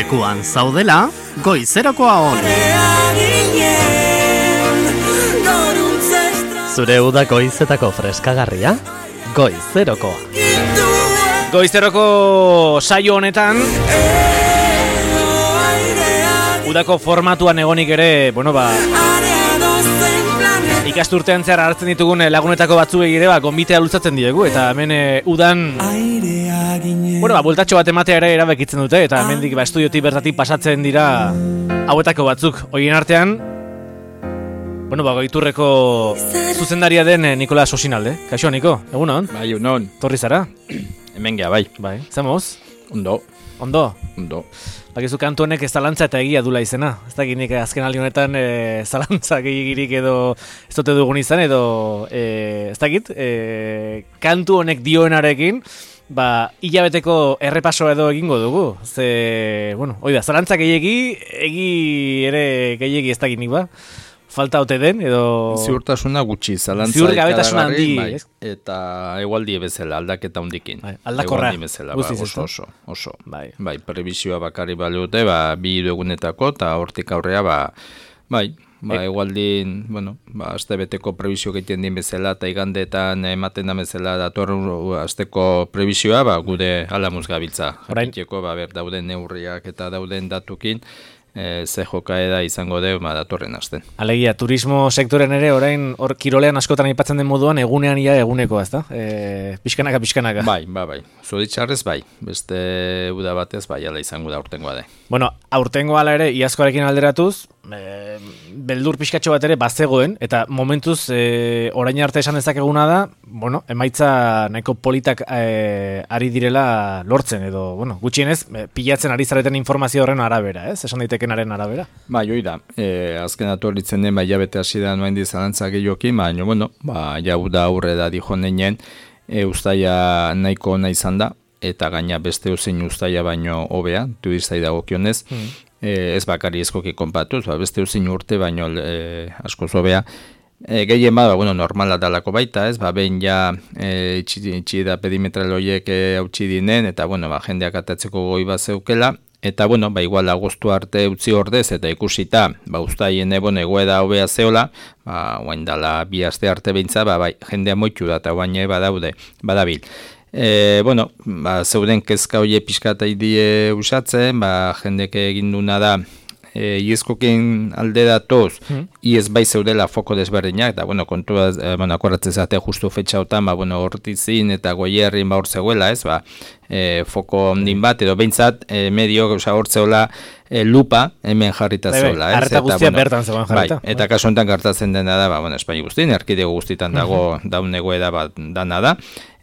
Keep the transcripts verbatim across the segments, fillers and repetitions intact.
lekuan zaudela, goizerokoa on. Zure uda goizetako freskagarria, goizerokoa. Goizeroko saio honetan udako formatuan egonik ere, bueno ba ikasturtean zehar hartzen ditugun lagunetako batzuei ere ba gonbitea lutzatzen diegu eta hemen e, udan bueno ba bueltatxo bat ematea ere erabakitzen dute eta hemendik ba estudiotik bertatik pasatzen dira hauetako batzuk. Horien artean bueno ba Goiturreko zuzendaria den Nikola Sosinalde. Kaixo Niko, egunon? Bai, egunon. Torri zara? Hemen gea, bai. Bai, zamoz? Ondo. Ondo? Ondo. Bakizu kantu honek zalantza eta egia dula izena. Ez da ginik azken aldi honetan e, zalantza gehiagirik edo ez dute dugun izan edo e, ez dakit e, kantu honek dioenarekin ba hilabeteko errepaso edo egingo dugu. Ze, bueno, hoi da, zalantza gehiagi, egi ere gehiagi ez da ginik ba. Falta ote den edo ziurtasuna gutxi, zalantza ziurgabetasuna handi, bai, eta egualdi bezala aldaketa hundikin. Bai, aldakorra. Bezala, ba, oso, oso, oso. Bai. Bai, prebisioa bakarri balute, ba bi hiru egunetako eta hortik aurrea ba bai, ba egualdin, bueno, ba astebeteko prebisio egiten din bezala eta igandetan ematen da bezala datorren asteko prebisioa, ba gure alamuz gabiltza. Jakiteko ba ber dauden neurriak eta dauden datukin E, ze jokaeda izango deu ma datorren asten. Alegia, turismo sektoren ere orain hor kirolean askotan aipatzen den moduan egunean ia eguneko, ezta? E, pixkanaka, pixkanaka. Bai, bai, bai. Zoritxarrez bai. Beste uda batez bai ala izango da aurtengoa da. Bueno, aurtengo ala ere iazkoarekin alderatuz, e, beldur pixkatxo bat ere bazegoen eta momentuz e, orain arte esan dezakeguna da, bueno, emaitza nahiko politak e, ari direla lortzen edo, bueno, gutxienez e, pilatzen ari zareten informazio horren arabera, ez? Esan daitekenaren arabera. Bai, hoi da. E, azken atorritzen den bai jabete hasi da noain dizalantza gehiokin, baina, bueno, ba, jau da aurre da dijo neinen, e, ustaia nahiko ona izan da, eta gaina beste uzein ustaia baino hobea, turistai dagokionez, mm. e, ez bakari eskoki konpatuz, ba, beste uzein urte baino e, asko hobea. E, gehien bada, bueno, normala dalako baita, ez, ba, behin ja e, itxi da pedimetral horiek hautsi e, dinen, eta, bueno, ba, jendeak atatzeko goi bat zeukela, eta, bueno, ba, igual agostu arte utzi ordez, eta ikusita, ba, ustaien ebon egoeda hobea zeola, ba, guain dala bi aste arte behintza, ba, bai, jendea moitu da, eta guain badaude, badabil. E, bueno, ba, zeuden kezka hoie pixkata idie usatzen, ba, jendek egin duna da, e, iezkokin alde datoz, mm. iez bai zeudela foko desberdinak, eta, bueno, kontua, e, bueno, akorratzen zate justu fetxautan, ba, bueno, hortizin eta goierrin ba hor zegoela, ez, ba, e, foko ondin bat, edo behintzat, e, medio, oza, hor zeola, e, lupa hemen jarrita zeola, ez? Arreta guztia bueno, bertan zegoen jarrita. Bai, eta kasu honetan gertatzen dena da, ba, bueno, Espaini guztien, erkidego guztitan dago uh-huh. daun egoeda bat dana da,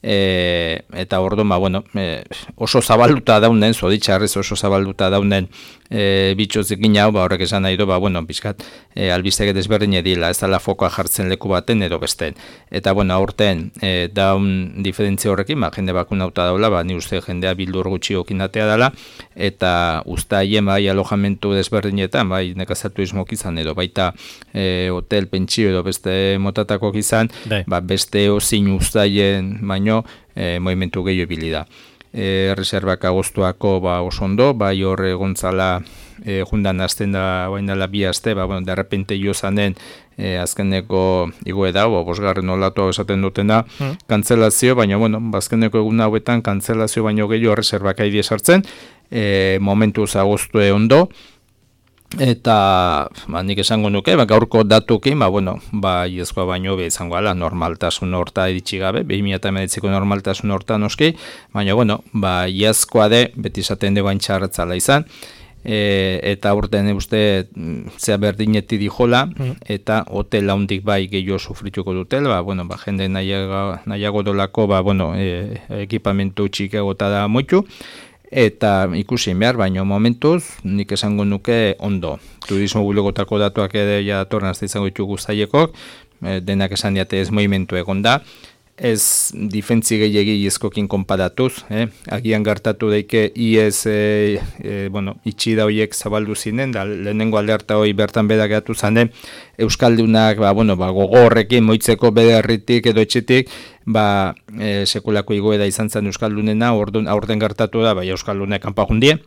e, eta orduan, ba, bueno, e, oso zabalduta daunen, zoditxarrez oso zabalduta daunen e, bitxozekin hau, ba, horrek esan nahi du, ba, bueno, bizkat, e, albizteke desberdin edila, ez dala fokoa jartzen leku baten edo besten. Eta, bueno, aurten, e, daun diferentzia horrekin, ba, jende bakunauta daula, ba, ni uste jendea bildur gutxi okinatea dela, eta usta hien, bai, alojamentu desberdinetan, bai, nekazatu izmok izan edo, baita e, hotel, pentsio edo beste motatako izan, ba, beste ozin ustaien baino e, movimentu gehiago ibili da. E, reservak agostuako ba, oso ondo, bai horre gontzala e, jundan azten da, bain dela bi aste, ba, bueno, derrepente jo zanen e, azkeneko igoe da, bo, bosgarren olatu esaten dutena, hmm. kantzelazio, baina, bueno, azkeneko egun hauetan kantzelazio baino gehiago reservak haidie sartzen, e, momentuz agostue ondo, eta ba, nik esango nuke, ba, gaurko datukin, ba, bueno, ba, iezkoa baino be izango ala, normaltasun horta iritsi gabe, bi mila hemeretziko normaltasun horta noski, baina, bueno, ba, iezkoa de, beti izaten de bain txarratzala izan, e, eta urten uste zea berdineti dijola, mm. eta hotel haundik bai gehiago sufrituko dutel, ba, bueno, ba, jende nahiago, nahiago dolako, ba, bueno, e, ekipamentu txikagota da moitu, eta ikusi behar, baino momentuz, nik esango nuke ondo. Turismo bulegotako datuak ere ja datorren azte izango ditugu zaiekok, e, denak esan diate ez movimentu egon da, ez difentzi gehiagi iezkokin konparatuz, eh? Agian gertatu daike iez e, e, bueno, itxi da horiek zabaldu zinen, da lehenengo alderta hori bertan beda geratu zanen, Euskaldunak ba, bueno, ba, gogorrekin moitzeko bederritik edo etxetik, ba, e, sekulako igoeda izan zen Euskaldunena, aurten gertatu da, bai Euskaldunek kanpa jundie,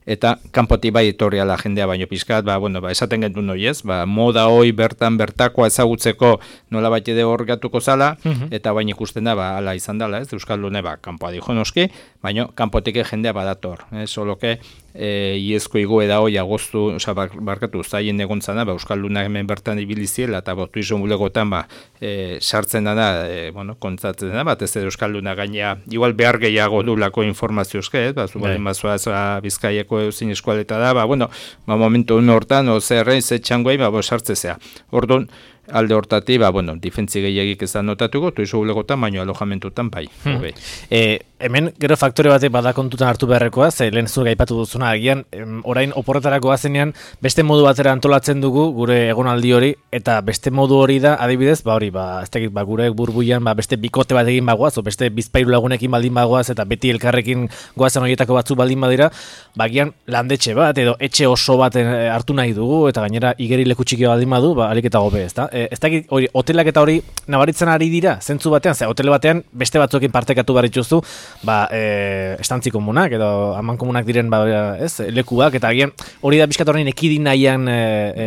eta kanpotik bai etorriala jendea baino pizkat, ba, bueno, ba, esaten genuen hori ez, ba, moda hoi bertan bertakoa ezagutzeko nola bat ede hor gatuko zala, uh-huh. eta baina ikusten da, ba, ala izan dela, ez, Euskaldune, ba, kanpoa dijo noski, baina kanpotik jendea badator, ez, soloke, e, iezko igoera hoi agostu, oza, barkatu, zaien egontzana, ba, Euskaldunak hemen bertan ibiliziela, eta botu izan bulegotan, ba, e, sartzen dana, e, bueno, kontzatzen dana, bat ez edo Euskaldunak gaina, igual behar gehiago dulako informaziozke, ez, ba, zubalen bazoaz, ba, Bizkaiako euzin eskualeta da, ba, bueno, ba, momentu un hortan, o zerrein, ze txangoei, ba, bo, sartzezea. Orduan, alde hortati, ba, bueno, difentzi gehiagik ez da notatuko, tuizu bulegotan, baino alojamentutan, bai. Hmm. E, hemen, gero faktore batek bada kontutan hartu beharrekoa, ze lehen zure gaipatu duzuna, agian, em, orain oporretarako azenean, beste modu batera antolatzen dugu, gure egonaldi hori, eta beste modu hori da, adibidez, ba hori, ba, ez dakit, ba, gure burbuian, ba, beste bikote bat egin bagoaz, o beste bizpairu lagunekin baldin bagoaz, eta beti elkarrekin goazen horietako batzu baldin badira, ba, agian landetxe bat, edo etxe oso bat hartu nahi dugu, eta gainera igeri leku txiki baldin badu, ba, alik eta gobe, ez da? E, ez dakit, hori, hotelak eta hori nabaritzen ari dira, zentzu batean, ze, hotel batean beste batzuekin partekatu barrituztu, ba, e, estantzi komunak, edo aman komunak diren, ba, ez, lekuak, eta agian hori da bizkat horrein ekidin nahian, e, e,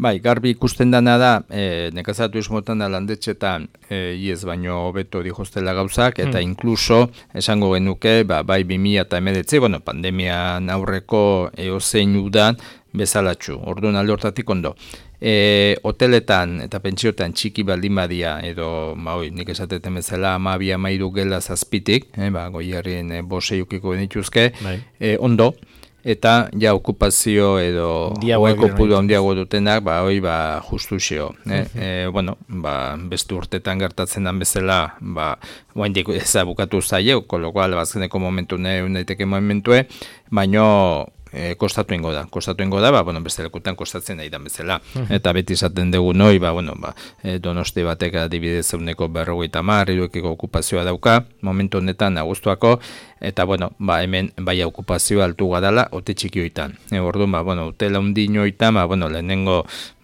Bai, garbi ikusten dana da, e, nekazatu izmotan da landetxetan, e, iez baino hobeto dijostela gauzak, eta hmm. inkluso, esango genuke, ba, bai bi mila hemeretzi, bueno, pandemian aurreko eozein udan, bezalatxu, orduan alde hortatik ondo. E, hoteletan eta pentsiotan txiki baldin badia, edo, ba, oi, nik esateten bezala, amabia mairu gela zazpitik, e, ba, goiarrien e, bose ukiko genituzke, e, ondo, eta ja okupazio edo oeko pudu handiago dutenak, ba, hoi, ba, justu xeo. Eh? Uh-huh. E, bueno, ba, beste urtetan gertatzen dan bezala, ba, oaindik ezabukatu zaio, kolokoal, bazkeneko momentu ne, unaiteke momentue, baino, E, kostatu ingo da, kostatu ingo da, ba, bueno, beste lekutan kostatzen nahi dan bezala. Uh-huh. Eta beti izaten dugu noi, ba, bueno, ba, e, Donosti batek adibidez zeuneko berrogeita hamar, hiruekiko okupazioa dauka, momentu honetan agustuako, eta, bueno, ba, hemen bai okupazioa altu gadala, ote txikioitan. E, orduan, ba, bueno, hotela undinoitan, ba, bueno, lehenengo,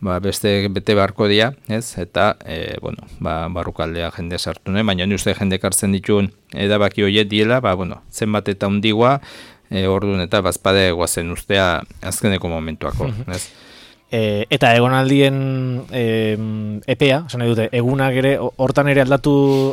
ba, beste bete barko dia, ez? Eta, e, bueno, ba, barrukaldea jende sartu nahi, baina ni uste jende kartzen dituen edabaki horiek diela, ba, bueno, zenbat eta undigua, E, orduan eta bazpade guazen ustea azkeneko momentuako. Ez? E, eta egonaldien e, epea, esan nahi dute, egunak ere, hortan ere aldatu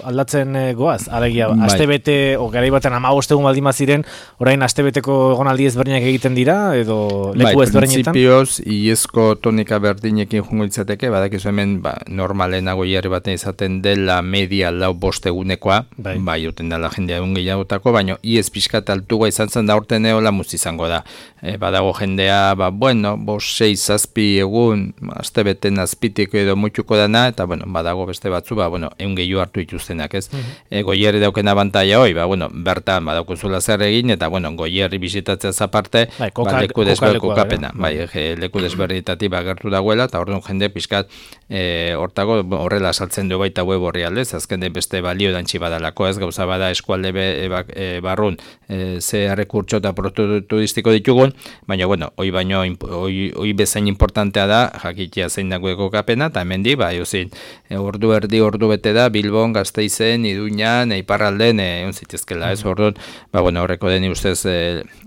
aldatzen e, goaz? Alegia, bai. Astebete, o garai batean hamabost egun baldin baziren, orain astebeteko egonaldi ezberdinak egiten dira, edo leku bai, ezberdinetan? Bai, prinsipioz, iezko tonika berdinekin jungo itzateke, badakizu hemen, ba, normalenago jarri baten izaten dela media lau bost egunekoa, bai, bai uten dela jendea egun gehiagotako, baina iez pixkat altuga izan zen da urten eola muz izango da. E, badago jendea, ba, bueno, bost, sei, zazpi egun, aste beten azpitik edo mutuko dana, eta, bueno, badago beste batzu, ba, bueno, egun gehiago hartu ituztenak, ez? Uh-huh. E, goierri dauken abantaia hoi, ba, bueno, bertan, badaukozula zer egin, eta, bueno, goierri bisitatzea zaparte, bai, koka, ba, leku desberdiko kapena, bai, e, leku desberditatik bagertu dagoela, eta orduan jende pixkat, e, hortago, horrela saltzen du baita web horri aldez, azken den beste balio dantzi badalako, ez, gauza bada eskualde be, e, bak, e, barrun, e, ze errekurtso eta turistiko ditugun, baina, bueno, hoi baino, hoi, hoi bezain importantea da, jakitia zein dagoeko kapena, eta hemen di, ba, euzin, e, ordu erdi, ordu bete da, Bilbon, Gasteizen, Iruñan, Eiparralden, egon zitezkela, ez, orduan, ba, bueno, horreko deni ustez e,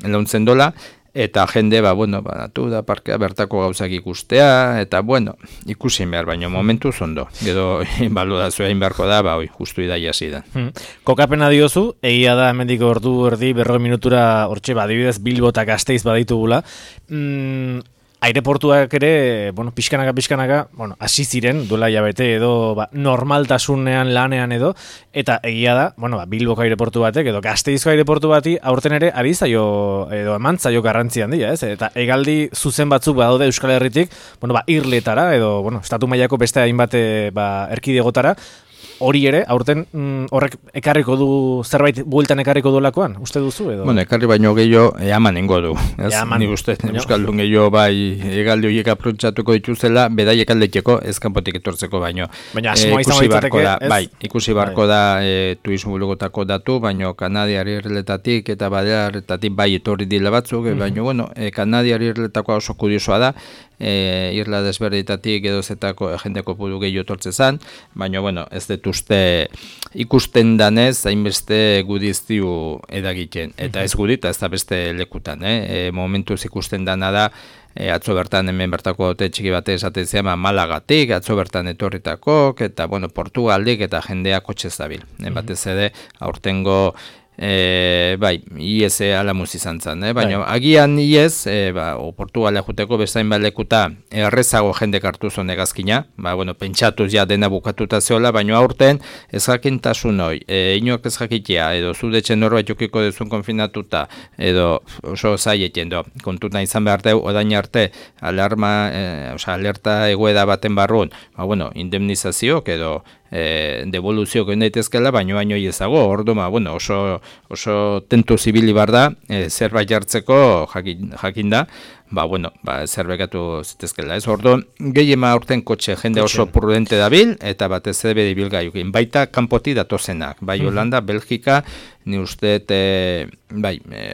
launtzen dola, eta jende, ba, bueno, ba, natu da parkea bertako gauzak ikustea, eta, bueno, ikusi behar, baino momentu zondo. Gero, baludazua egin beharko da, ba, oi, justu idaia zidan. Hmm. Kokapena diozu, egia da, hemendik ordu erdi, berroi minutura, hortxe, ba, adibidez, Bilbo eta Gasteiz baditugula. Mm, aireportuak ere, bueno, pixkanaka, pixkanaka, bueno, hasi ziren, duela jabete edo, ba, normaltasunean lanean edo, eta egia da, bueno, ba, Bilboko aireportu batek edo Gasteizko aireportu bati aurten ere ari zaio edo eman zaio garrantzi handia, ez? Eta egaldi zuzen batzuk badaude Euskal Herritik, bueno, ba, irletara edo, bueno, estatu mailako beste hainbat ba, erkidegotara, hori ere, aurten mm, horrek ekarriko du, zerbait bueltan ekarriko duelakoan, uste duzu edo? Bueno, ekarri baino gehiago eaman ingo du. Ez? Eaman. Ni uste, Euskaldun gehiago bai egaldi horiek aprotxatuko dituzela, bedaiek aldetxeko, ez kanpotik etortzeko baino. Baina asmoa izan baitzateke, da, ez? Bai, ikusi barko bai. da e, turismo bulgotako datu, baino Kanadiari irletatik eta Balearretatik bai etorri dila batzuk, mm-hmm. baino, bueno, e, Kanadiari irletakoa oso kuriosoa da, e, irla desberditatik edo zetako jendeko pudu gehiago etortze zan, baino, bueno, ez dut uste ikusten danez, hainbeste gudiztiu edagiten. Eta ez gudita, ez da beste lekutan, eh? E, momentuz ikusten dana da, E, atzo bertan hemen bertako hote txiki bate esaten zema Malagatik, atzo bertan etorritakok, eta bueno, Portugaldik eta jendea kotxez dabil. Mm-hmm. Batez ere, aurtengo E, bai, I E S ala muzi izan zen, eh? Baina bai. Agian I E S, e, ba, o Portugalea juteko bezain balekuta errezago jendek hartu zuen egazkina, ba, bueno, pentsatuz ja dena bukatuta zeola, baina aurten ez jakintasun hoi, e, inoak ez jakitea, edo zudetxe norbait jokiko dezun konfinatuta, edo oso zaieten, do, kontuta izan behar deu, odain arte, alarma, e, oza, alerta egoeda baten barrun, ba, bueno, indemnizazioak edo, E, devoluzio gen daitezkela, baino baino ezago, ordu, ma, bueno, oso, oso tentu zibili bar da, e, zerbait jartzeko jakin, jakin da, ba, bueno, ba, zerbekatu zitezkela, ez, ordu, gehiema aurten kotxe jende oso prudente dabil, eta batez ere bedi bilgaiukin, baita kanpoti datozenak, bai, Holanda, Belgika, ni uste, e, bai, e,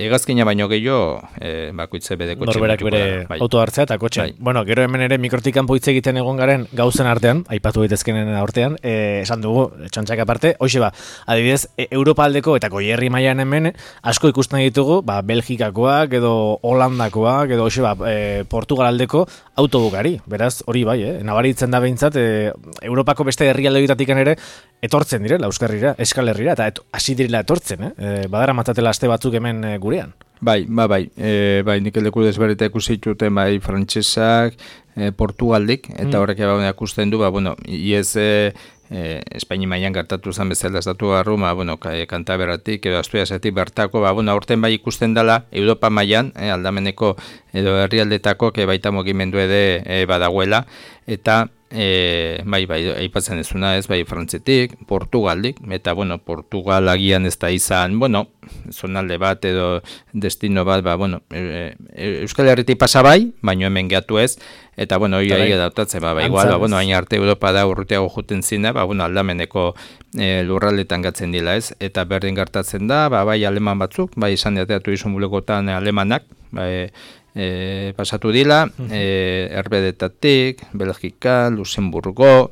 egazkina baino gehiago, e, bakoitze bede kotxe. Norberak bere bai. Auto hartzea eta kotxe. Bai. Bueno, gero hemen ere mikrotik kanpo hitz egiten egon garen gauzen artean, aipatu daitezkenen artean, e, esan dugu, txantxak aparte, hoxe ba, adibidez, e, Europa aldeko eta goierri mailan hemen, asko ikusten ditugu, ba, Belgikakoak edo Holandakoak edo hoxe ba, e, Portugal aldeko autobukari. Beraz, hori bai, eh? Nabaritzen da behintzat, e, Europako beste herrialdeetatik ere etortzen direla Euskarrira, Euskal Herrira, eta et, hasi direla etortzen, eh? E, badara matatela aste batzuk hemen e, gurean. Bai, ba, bai, e, bai, nik eleku desberita ikusi dituten, bai, frantsesak, e, Portugaldik, eta horrek mm. eba ikusten du, ba, bueno, iez, e, e, Espaini mailan gertatu zen bezala estatu garru, ba, bueno, Kantaberatik edo Asturiasetik bertako, ba, bueno, aurten bai ikusten dela, Europa mailan, e, aldameneko edo herrialdetako, ke baita mugimendu ede e, badagoela, eta E, bai, bai, aipatzen ezuna ez, bai, Frantzetik, Portugaldik, eta, bueno, Portugal agian ez da izan, bueno, zonalde bat edo destino bat, ba, bueno, e, e, Euskal Herritik pasa bai, baino hemen gehatu ez, eta, bueno, hori ahi edautatzen, ba, ba, igual, ba, bueno, hain arte Europa da urruteago juten zina, ba, bueno, aldameneko e, lurraldetan gatzen dila ez, eta berdin gertatzen da, ba, bai, aleman batzuk, bai, izan diateatu izun bulekotan alemanak, bai, E, pasatu dila, e, Erbedetatik, Belgika, Luxemburgo,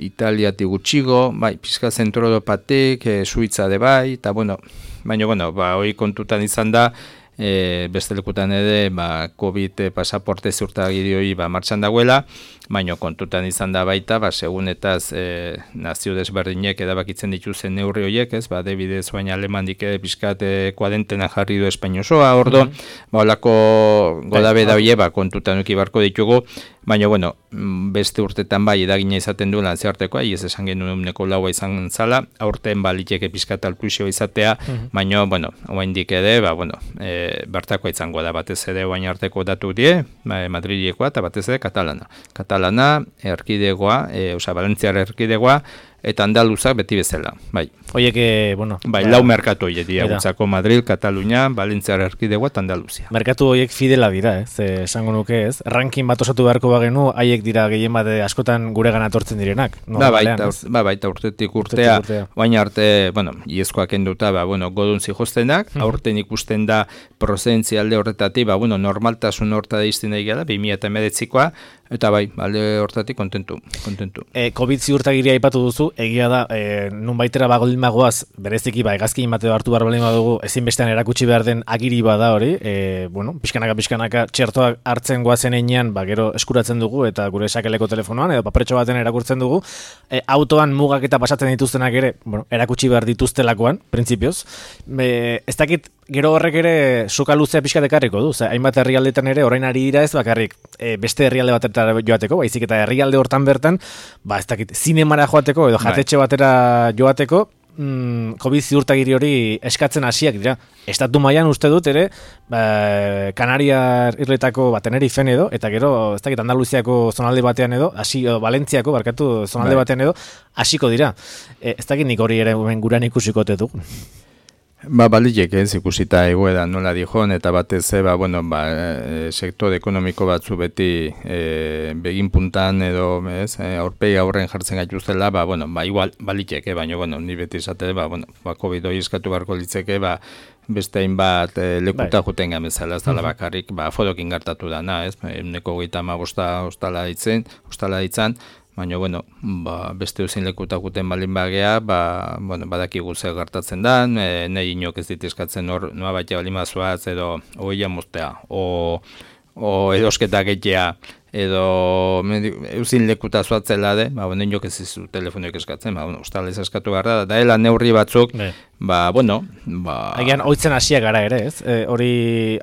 Italiatik gutxigo, bai, pizka zentro Europatik, e, Suitza de bai, eta bueno, baina, bueno, ba, hori kontutan izan da, e, beste lekutan ere, ba, COVID pasaporte ziurtagirioi ba, martxan dagoela, baina kontutan izan da baita, ba, segunetaz e, nazio desberdinek edabakitzen dituzen neurri horiek, ez, ba, debidez baina alemandik ere pizkat kuadentena jarri du Espaino osoa, ordo, mm-hmm. ba, olako godabe da hoie, ba, kontutan uki barko ditugu, baina, bueno, beste urtetan bai edagina izaten du lantzeartekoa, ez esan genuen uneko laua izan zala, aurten baliteke pizkat altuizio izatea, mm-hmm. baina, bueno, oaindik ere, ba, bueno, e, bertakoa izango da, batez ere oain arteko datu die, ba, Madrilekoa eta batez ere Katalana. Katalana, erkidegoa, e, oza, Valentziar erkidegoa, eta andaluzak beti bezala, bai. Oiek, e, bueno... Bai, lau merkatu horiek dira, gutzako Madrid, Katalunia, Valentziar erkidegoa eta Andaluzia. Merkatu horiek fidela dira, ez, e, esango nuke ez. Ranking bat osatu beharko bagenu, haiek dira gehien bat askotan gure gana tortzen direnak. No, ba, baita, ba, baita urtetik urtea, baina arte, bueno, iezkoak enduta, ba, bueno, godun zihostenak, hmm. aurten ikusten da prozentzialde horretatik, ba, bueno, normaltasun horta da izten daigela, bi mila emeretzikoa, eta bai, alde hortatik kontentu, kontentu. E, COVID ziurtagiria aipatu duzu, egia da, e, nun baitera bagoldin bagoaz, bereziki, ba, egazkin bateo hartu behar balin badugu, ezinbestean erakutsi behar den agiri bada hori, e, bueno, pixkanaka, pixkanaka, txertoak hartzen goazen einean, ba, gero eskuratzen dugu, eta gure sakeleko telefonoan, edo paperetxo baten erakurtzen dugu, e, autoan mugak eta pasatzen dituztenak ere, bueno, erakutsi behar dituztelakoan, printzipioz, e, ez dakit, gero horrek ere soka luzea pixka dekarriko du, ze hainbat herrialdetan ere orain ari dira ez bakarrik e, beste herrialde batetara joateko, baizik eta herrialde hortan bertan, ba ez dakit, zinemara joateko edo jatetxe batera joateko, mm, COVID ziurtagiri hori eskatzen hasiak dira. Estatu mailan uste dut ere, ba, Kanariar irletako ba, Tenerifen edo, eta gero, ez dakit, Andaluziako zonalde batean edo, hasi, edo, Valentziako, barkatu, zonalde bai. batean edo, hasiko dira. E, ez dakit nik hori ere guran ikusikote dugu. Ba, baliek ez ikusita egoera nola dijon, eta batez, ba, bueno, ba, e, sektore ekonomiko batzu beti e, begin puntan edo, ez, e, aurpegi aurren jartzen gaituztela, ba, bueno, ba, igual, baliek, e, baina, bueno, ni beti esate, ba, bueno, ba, COVID hori eskatu beharko litzeke, ba, beste hainbat e, lekuta bai. juten gamezala, ez dala bakarrik, ba, fodokin gertatu dana, ez, euneko goita ama bosta ostala ditzen, ostala ditzan, baina, bueno, ba, beste uzin lekutakuten balin bagea, ba, bueno, badakigu zer gertatzen da, e, nahi inok ez ditizkatzen hor, noa batia balin bazuaz, edo oia moztea, o, o edosketa gehiagia, edo uzin lekuta zuatzela de, ba, bueno, inok ez izu telefonioek eskatzen, ba, bueno, ustalez eskatu gara, da, daela neurri batzuk, ne. ba, bueno, ba... Agian, oitzen hasiak gara ere, ez? E, hori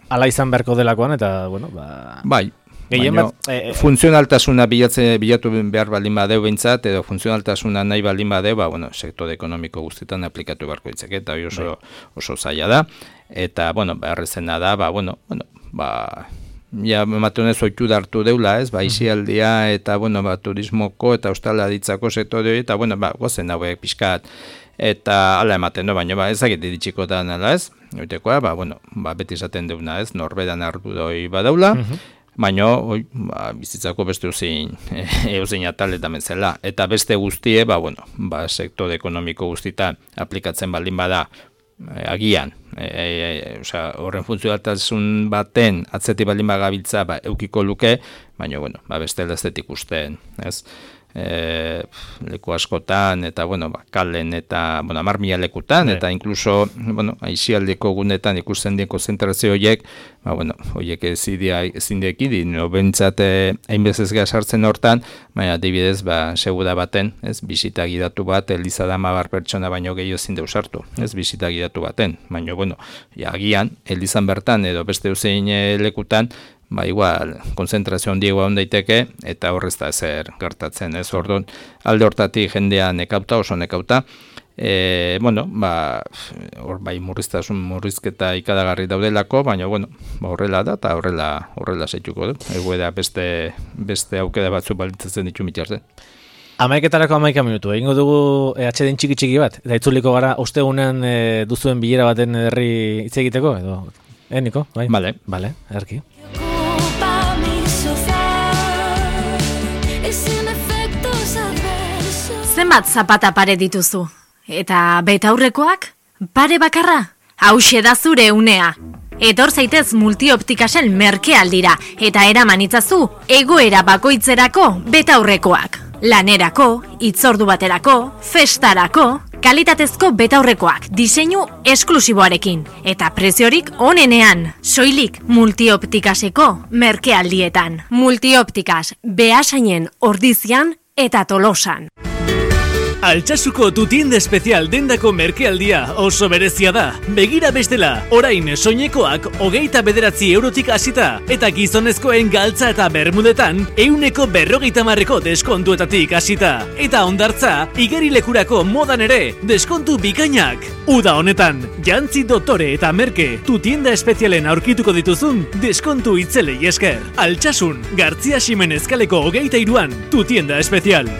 ala izan beharko delakoan, eta, bueno, ba... Bai. Baina, e, e, funtzionaltasuna bilatze, bilatu behar baldin badeu behintzat, edo funtzionaltasuna nahi baldin badeu, ba, bueno, sektore ekonomiko guztietan aplikatu beharko ditzake, eta oso, oso zaila da. Eta, bueno, beharrezena da, ba, bueno, bueno, ba, ja, ematunez oitu dartu deula, ez, ba, isialdia, eta, bueno, ba, turismoko eta ostala ditzako sektore hori, eta, bueno, ba, gozen hauek pixkat, eta ala ematen, no, baina, ba, ezakit ditxiko da nala, ez, oitekoa, ba, bueno, ba, beti esaten deuna, ez, norbedan hartu doi badaula, baina, oi, ba, bizitzako beste uzin, euzin ataletan bezala. Eta beste guztie, ba, bueno, ba, sektore ekonomiko guztietan aplikatzen baldin bada, e, agian, e, e, osea, horren funtzionaltasun baten atzeti baldin bagabiltza, ba, eukiko luke, baina, bueno, ba, beste leztetik usten, ez? E, leku askotan, eta, bueno, ba, kalen, eta, bueno, amar mila lekutan, eta inkluso, bueno, aizialdeko gunetan ikusten dien konzentrazio horiek, ba, bueno, horiek ezin dieki, no bentsate hainbezez sartzen hortan, baina adibidez, ba, segura baten, ez, bisita gidatu bat, eliza dama bar pertsona baino gehiago ezin deus hartu, ez, bisita gidatu baten, baina, bueno, ja, agian, elizan bertan, edo beste uzein lekutan, ba, igual, konzentrazio handiagoa hon daiteke, eta horrez da ezer gertatzen, ez, orduan, alde hortatik jendea nekauta, oso nekauta, e, bueno, ba, hor bai murriztasun murrizketa ikadagarri daudelako, baina, bueno, ba, horrela da, eta horrela, horrela zeituko du, egoera beste, beste aukera batzu balitzatzen ditu mitartzen. Amaiketarako amaika minutu, egingo dugu e, atxeden txiki txiki bat, eta itzuliko gara ostegunean e, duzuen bilera baten herri hitz egiteko, edo, eh, Niko? Bai? Vale. Vale, erki. Zenbat zapata pare dituzu? Eta betaurrekoak? Pare bakarra? Hauxe da zure unea. Etor zaitez Multioptikasen merkealdira eta eraman itzazu egoera bakoitzerako betaurrekoak. Lanerako, hitzordu baterako, festarako, kalitatezko betaurrekoak diseinu esklusiboarekin eta preziorik onenean, soilik Multioptikaseko merkealdietan. Multioptikas Beasainen Ordizian eta Tolosan. Altsasuko tu tienda espezial dendako merkealdia oso berezia da. Begira bestela, orain soinekoak hogeita bederatzi eurotik hasita eta gizonezkoen galtza eta bermudetan euneko berrogeita marreko deskontuetatik hasita. Eta ondartza, igerilekurako modan ere deskontu bikainak. Uda honetan, jantzi dotore eta merke tu tienda espezialen aurkituko dituzun deskontu itzelei esker. Altsasun, Gartzia Ximenez kaleko hogeita iruan, tu tienda espezial.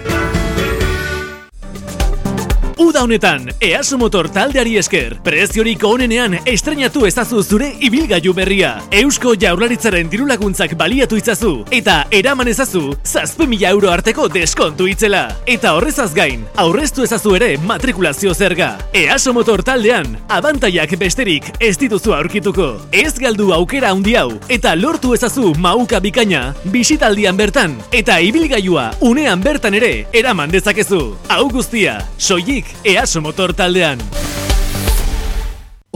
Uda honetan, Easo Motor taldeari esker, preziorik onenean estrenatu ezazu zure ibilgailu berria. Eusko Jaurlaritzaren dirulaguntzak baliatu itzazu, eta eraman ezazu, zazpi mila euro arteko deskontu itzela. Eta horrezaz gain, aurreztu ezazu ere matrikulazio zerga. Easo Motor taldean, abantaiak besterik ez dituzu aurkituko. Ez galdu aukera handi hau, eta lortu ezazu mauka bikaina, bisitaldian bertan, eta ibilgailua unean bertan ere eraman dezakezu. Hau guztia, soilik Easo Motor taldean.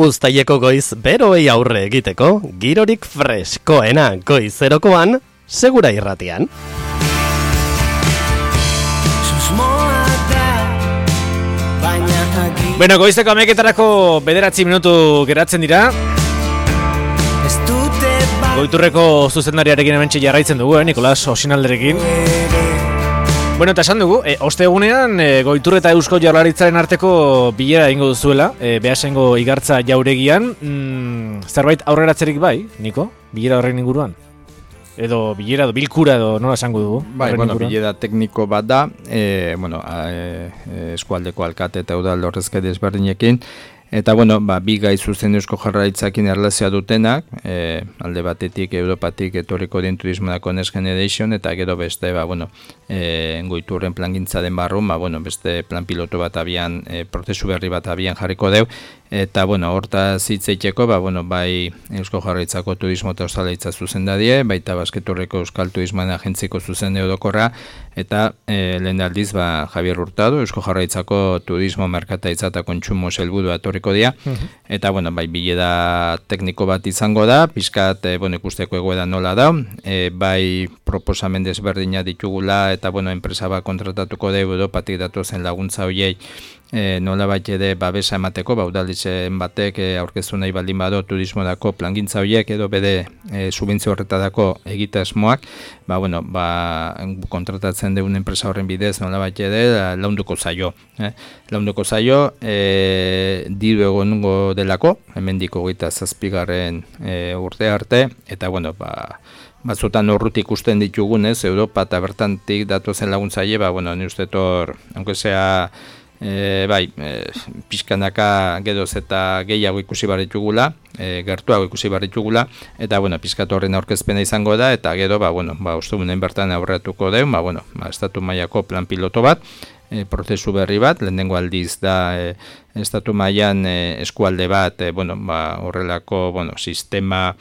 Uztaileko goiz beroei aurre egiteko, girorik freskoena goizerokoan, segura irratian. Bueno, goizeko ameketarako bederatzi minutu geratzen dira. Goiturreko zuzendariarekin hementxe jarraitzen dugu, eh, Nikolas Osinalderekin. Bueno, eta esan dugu, e, ostegunean e, Goitur eta Eusko Jaurlaritzaren arteko bilera egingo duzuela, e, Beasaingo igartza jauregian, mm, zerbait aurreratzerik bai, Niko? Bilera horren inguruan? Edo bilera, edo bilkura, edo nola esango dugu? Bai, bueno, inguruan? Bilera tekniko bat da, e, bueno, a, e, eskualdeko alkate eta udal horrezkari ezberdinekin, eta, bueno, ba, bi gai zuzen Eusko Jaurlaritzakin erlazioa dutenak, e, alde batetik, Europatik etorriko den turismonako Next Generation, eta gero beste, ba, bueno, e, Goiturren plangintzaren barrun, ba, bueno, beste plan piloto bat abian, e, prozesu berri bat abian jarriko deu, Eta, bueno, hortaz hitz egiteko, ba, bueno, bai Eusko Jaurlaritzako Turismo eta Ostalaritza zuzendadie, baita Basketurreko Euskal Turismoen Agentziko zuzende orokorra, eta e, lehen aldiz, ba, Javier Hurtado, Eusko Jaurlaritzako Turismo, Merkataritza eta Kontsumo sailburua etorriko dira, eta, bueno, bai, bilera tekniko bat izango da, pixkat, e, bueno, ikusteko egoera nola da, e, bai proposamen desberdina ditugula, eta, bueno, enpresa bat kontratatuko da, Europatik datozen laguntza horiei, E, nola bat ere babesa emateko, ba, udalitzen batek e, aurkeztu nahi baldin bado turismodako plangintza horiek edo bede e, subentzio horretadako egitasmoak, ba, bueno, ba, kontratatzen deun enpresa horren bidez nola bat ere launduko zaio. Eh? Launduko zaio, e, diru egongo delako, hemendik hogeita zazpigarren e, urte arte, eta, bueno, ba, batzutan horrutik ikusten ditugunez, Europa eta bertantik datozen laguntzaile, ba, bueno, ni uste tor, aunque sea E, bai, e, pixkanaka geroz eta gehiago ikusi barritugula, e, gertuago ikusi barritugula, eta, bueno, pixkatu horren aurkezpena izango da, eta gero, ba, bueno, ba, ostegunen bertan aurretuko deun, ba, bueno, ba, estatu mailako plan piloto bat, e, prozesu berri bat, lehenengo aldiz da, e, estatu mailan e, eskualde bat, e, bueno, ba, horrelako, bueno, sistema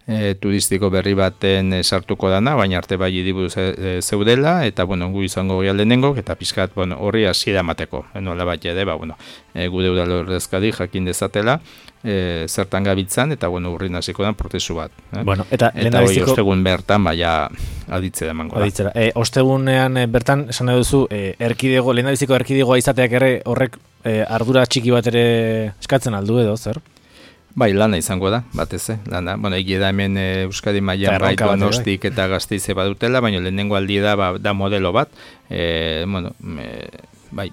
E, turistiko berri baten e, sartuko dana, baina arte bai idibuz e, e, zeudela, eta, bueno, gu izango gira lehenengo, eta pixkat, bueno, horri hasiera emateko, nola bat jede, ba, bueno, e, gude udalordezkadi jakin dezatela, e, zertan gabitzan, eta, bueno, urri hasiko da prozesu bat. Eh? Bueno, eta eta hori ostegun bertan, baina aditzera emango da. Aditzera. E, ostegunean e, bertan, esan nahi duzu, e, erkidego, lehendabiziko erkidegoa izateak ere horrek e, ardura txiki bat ere eskatzen aldu edo, zer? Bai, lana izango da, batez, eh? lana. Bueno, egia da hemen e, Euskadi mailan bai Donostik bai. Eta Gasteize badutela, baina lehenengo aldi da, ba, da modelo bat. E, bueno, e, bai,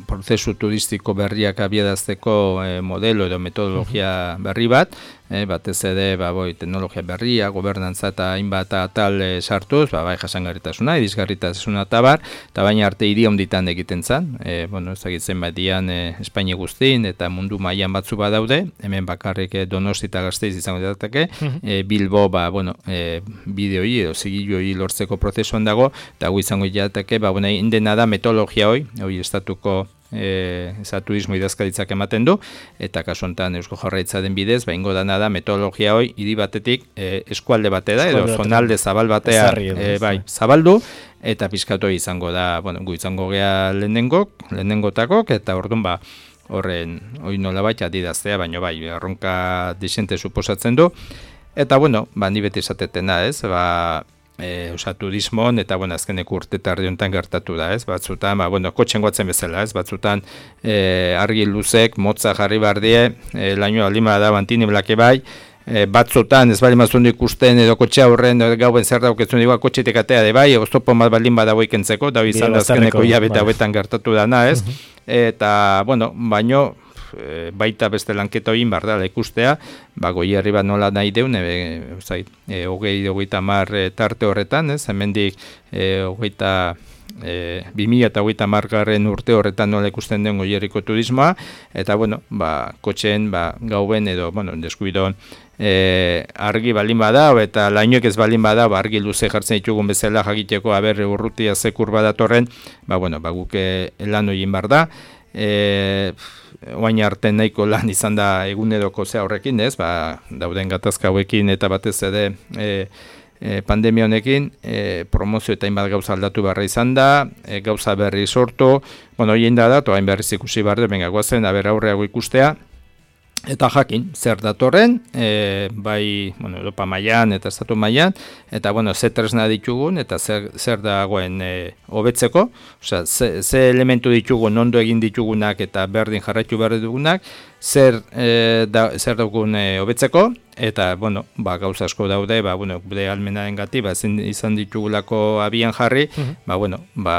prozesu turistiko berriak abiadazteko e, modelo edo metodologia berri bat, e, batez ere, ba, boi, teknologia berria, gobernantza eta hainbat atal e, sartuz, ba, bai, jasangarritasuna, irisgarritasuna eta bar, eta baina arte hiri honditan egiten zan, e, bueno, ezagitzen bat dian e, Espainia guztin, eta mundu mailan batzu badaude, hemen bakarrik e, Donosti eta Gasteiz izango dateke, e, Bilbo, ba, bueno, e, bideoi edo zigiluoi lortzeko prozesuan dago, eta gu izango jateke, ba, bueno, indena da metodologia hoi, hoi estatuko E, eza turismo idazkaritzak ematen du, eta kasu honetan Eusko Jaurlaritzaren bidez, ba, ingo dana da metodologia hoi hiri batetik e, eskualde batera, edo zonalde zabal batea e, bai, zabaldu, eta pizkatu izango da, bueno, gu izango gea lehenengok, lehenengotakok, eta orduan ba, horren, hori nola baita didaztea, baina bai, erronka disente suposatzen du, eta bueno, ba, ni beti esatetena, ez, ba, E, osa, turismon, eta, bueno, azkeneko urte tardi honetan gertatu da, ez, batzutan, ba, bueno, kotxen guatzen bezala, ez, batzutan e, argi luzek, motza jarri bardie, e, laino alima da, bantini blake bai, e, batzutan, ez bali mazundu ikusten, edo kotxe aurren, edo gauen zer dauketzun, edo kotxetik atea de bai, oztopo mat baldin badago ikentzeko, da izan da azkeneko hilabete hauetan gertatu dana, ez, eta, bueno, baino, baita beste lanketa hori bardala ikustea, ba, goierri bat nola nahi deun, e, zait, e, hogei, hogeita mar e, tarte horretan, ez, hemendik e, hogeita, e, bi mila eta hogeita margarren urte horretan nola ikusten den goierriko turismoa, eta, bueno, ba, kotxeen, ba, gauen edo, bueno, deskubidon, E, argi balin bada, eta lainoek ez balin bada, ba, argi luze jartzen ditugun bezala jakiteko, aber urrutia zekur badatorren, ba, bueno, ba, guke lan egin bar da, e, oain arte nahiko lan izan da eguneroko zea horrekin, ez, ba, dauden gatazka hauekin eta batez ere e, e, pandemia honekin, e, promozio eta hainbat gauza aldatu barra izan da, e, gauza berri sortu, bueno, hien da da, toain berriz ikusi barde, benga guazen, aber aurreago ikustea, eta jakin, zer datorren, e, bai, bueno, Europa mailan eta estatu mailan, eta, bueno, ze tresna ditugun, eta zer, zer dagoen e, hobetzeko, osea, ze, ze elementu ditugun, ondo egin ditugunak, eta berdin jarraitu behar dugunak, zer, e, da, zer dugun e, hobetzeko, eta, bueno, ba, gauza asko daude, ba, bueno, gure almenaren gati, ba, izan ditugulako abian jarri, uh-huh. ba, bueno, ba,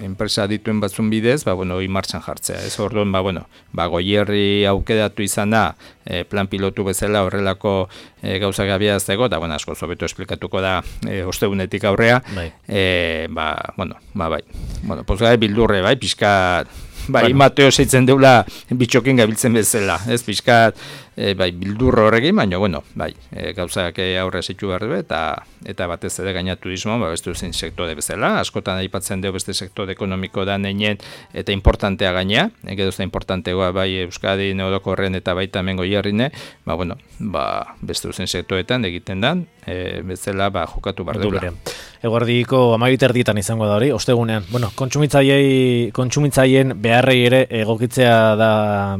enpresa dituen batzun bidez, ba, bueno, hori martxan jartzea. Ez orduan, ba, bueno, ba, goierri aukeratu izana, e, plan pilotu bezala horrelako e, gauzak abiazteko, eta, bueno, asko zobeto esplikatuko da e, ostegunetik aurrea, bai. E, ba, bueno, ba, bai. Bueno, pues gai bildurre, bai, pixka bai, Bueno. Mateo zeitzen deula bitxokin gabiltzen bezala, ez pixkat, e, bai, bildurro horrekin, baina, bueno, bai, e, gauzak aurre zitu behar du, eta, eta batez ere gaina turismo, ba, beste zen sektore bezala, askotan aipatzen dugu beste sektore ekonomiko da neinen, eta importantea gaina, edo ez da importantegoa, bai, Euskadi, Orokorren eta baita hemen Goierrine, ba, bueno, ba, beste zen sektoretan egiten dan, e, bezala, ba, jokatu behar dela. Eguerdiko amabit erdietan izango da hori, ostegunean. Bueno, kontsumitzaiei, kontsumitzaileen beharrei ere egokitzea da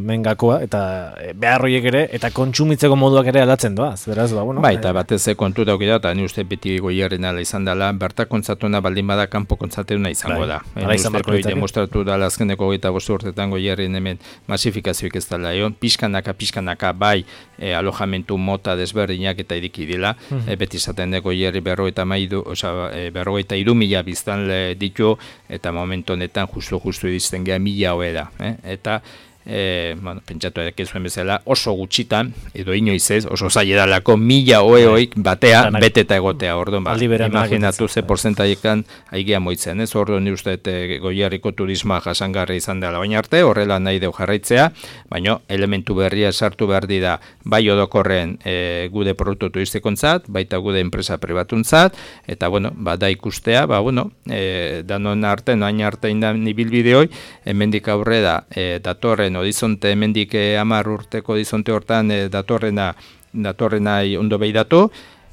mengakoa, eta beharroiek ere, eta kontsumitzeko moduak ere aldatzen doaz, beraz, ba, bueno. Bai, eta batez kontu dauki da, eta ni uste beti Goierren ala izan dela, bertak kontzatuna baldin bada kanpo kontzatuna izango da. Hala izan barko ditzake. Demostratu da azkeneko hogeita bost urtetan Goierren hemen masifikazioik ez dela, egon, pixkanaka, pixkanaka, bai, e, alojamentu mota desberdinak eta iriki dela, e, beti izaten da Goierri berrogeita maidu, oza, e, berrogeita iru mila biztanle ditu, eta momentu honetan justu-justu iristen geha mila hoe da, eh? eta E, bueno, pentsatu edek zuen bezala oso gutxitan, edo inoiz ez, oso zaila dalako mila oeoik batea Danak. beteta egotea, orduan, ba, Aldi berean imaginatu dagoetzen. ze porcentaiekan aigia moitzen, ez, orduan ni uste e, Goierriko turismoa jasangarri izan dela baina arte, horrela nahi deu jarraitzea, baina elementu berria sartu behar dira, bai orokorren e, gude produktu turistikontzat, baita gude enpresa pribatuntzat, eta bueno, ba, da ikustea, ba, bueno, e, danon arte, noain arte indan ibilbideoi, hemendik aurrera e, datorren horizonte hemendik hamar urteko horizonte hortan e, datorrena datorrena ondo behiratu,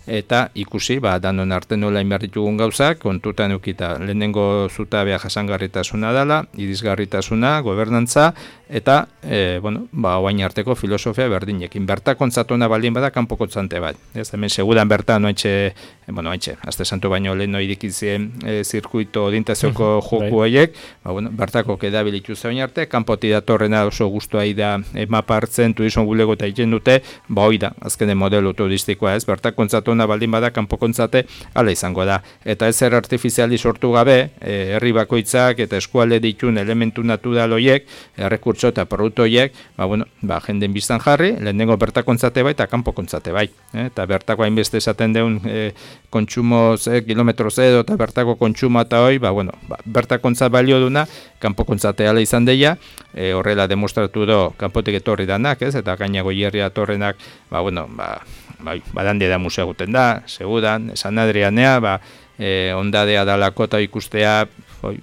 eta ikusi, ba, danon arte nola inberritugun gauzak, kontutan eukita lehenengo zutabea jasangarritasuna dela, irisgarritasuna, gobernantza, eta, e, bueno, ba, oain arteko filosofia berdinekin. Berta kontzatuna baldin bada, kanpo kontzante bat. Ez, hemen segudan berta, noaintxe, bueno, noaintxe, azte santu baino lehen noirikizien e, zirkuito orientazioko joku horiek, ba, bueno, bertako kedabilitu zain arte, kanpoti datorrena oso guztua da e, mapa hartzen, turismo bulego eta egiten dute, ba, hoi da, azkene modelo turistikoa, ez, berta kontzatuna baldin bada, kanpo kontzate, ala izango da. Eta ez er artifiziali sortu gabe, e, herri bakoitzak eta eskualde ditun elementu natural horiek, errekurtso eta produktu horiek, ba, bueno, ba, jenden biztan jarri, lehenengo bertakontzate bai eta kanpo kontzate bai. Eh? Eta bertako hainbeste esaten deun e, kontsumo ze, kilometro zero eta bertako kontsumo eta hoi, ba, bueno, ba, bertakontzat balio duna, kanpo kontzate ala izan deia, e, horrela demostratu do kanpotik etorri danak, ez? Eta gaina Goierria etorrenak, ba, bueno, ba, bai, badande da museo guten da, segudan, San Adrianea, ba, e, ondadea dalako eta ikustea, oi,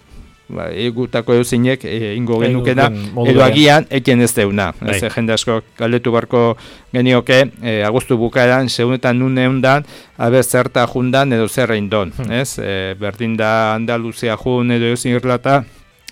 ba, egutako euzinek e, ingo genukena, edo agian eken ez deuna. Ez, jende asko galdetu barko genioke, e, agostu bukaeran, segunetan nune hundan, aber zerta jundan edo zerra indon. Ez, e, berdin da Andaluzia jun edo euzin irlata,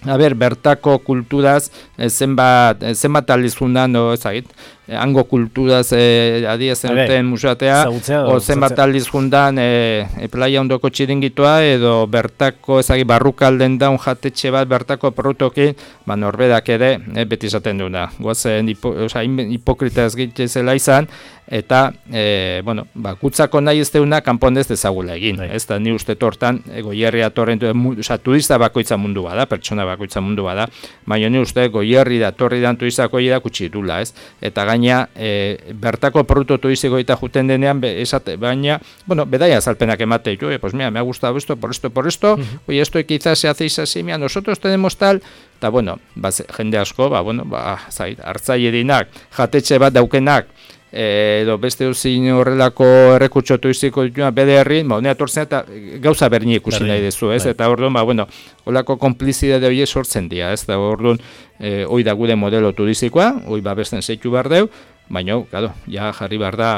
aber, bertako kulturaz, e, zenbat, e, zenbat aliz jundan, o, ezagit, e, hango kulturaz e, adia zenuten musatea, o zenbat aliz jundan e, e, playa ondoko txiringitoa, edo bertako, ezagit, barrukalden daun jatetxe bat bertako produktokin, ba, norberak ere, e, beti izaten duna. Goazen, hipo, oza, hipokrita ez gitzela izan, eta, e, bueno, ba, kutzako nahi ez deuna, kanpon ez dezagula egin. Ez da, ni uste tortan, e, Goierria torren, oza, turista bakoitza mundu bada, pertsona bakoitza mundu bada, baina ni uste Goierri da, torri dan turistako da kutsi dula, ez? Eta gaina, e, bertako produktu turistiko eta juten denean, be, esate, baina, bueno, bedaia azalpenak emate, jo, e, pues mira, me ha gustado esto, por esto, por esto, uh-huh. Oye, esto quizás se hacéis así, mira, nosotros tenemos tal, eta, bueno, ba, jende asko, ba, bueno, ba, zait, hartzaierinak, jatetxe bat daukenak, edo beste uzin horrelako errekurtso turistiko dituna bede herri, ba, honea tortzen eta gauza berni ikusi nahi dezu, ez? Eta orduan, ba, bueno, holako konplizidade horiek sortzen dira, ez? Da orduan, e, hoi da gude modelo turistikoa, hoi babesten zeitu behar deu, baina, claro, ja jarri behar da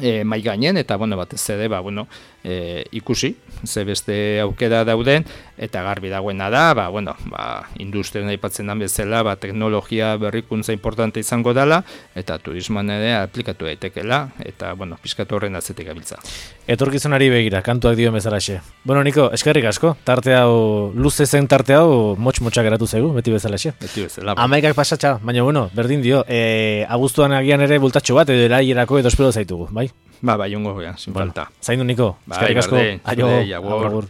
e, mai gainen, eta, bueno, batez ere, ba, bueno, e, ikusi, ze beste aukera dauden, eta garbi dagoena da, ba, bueno, ba, industrian aipatzen den bezala, ba, teknologia berrikuntza importante izango dela, eta turismoan ere aplikatu daitekela, eta, bueno, pizkatu horren atzetik gabiltza. Etorkizunari begira, kantuak dioen bezalaxe. Bueno, Niko, eskerrik asko, tarte hau, luze zen tarte hau, motx-motxak geratu zaigu, beti bezalaxe. Beti bezala. Amaikak pasatxa, baina, bueno, berdin dio, e, abuztuan agian ere bultatxo bat, edo eraierako edo espero zaitugu, bai? Ba, bai, ongo goia, sin falta. Zaindu, Niko, eskerrik asko, aio, agur.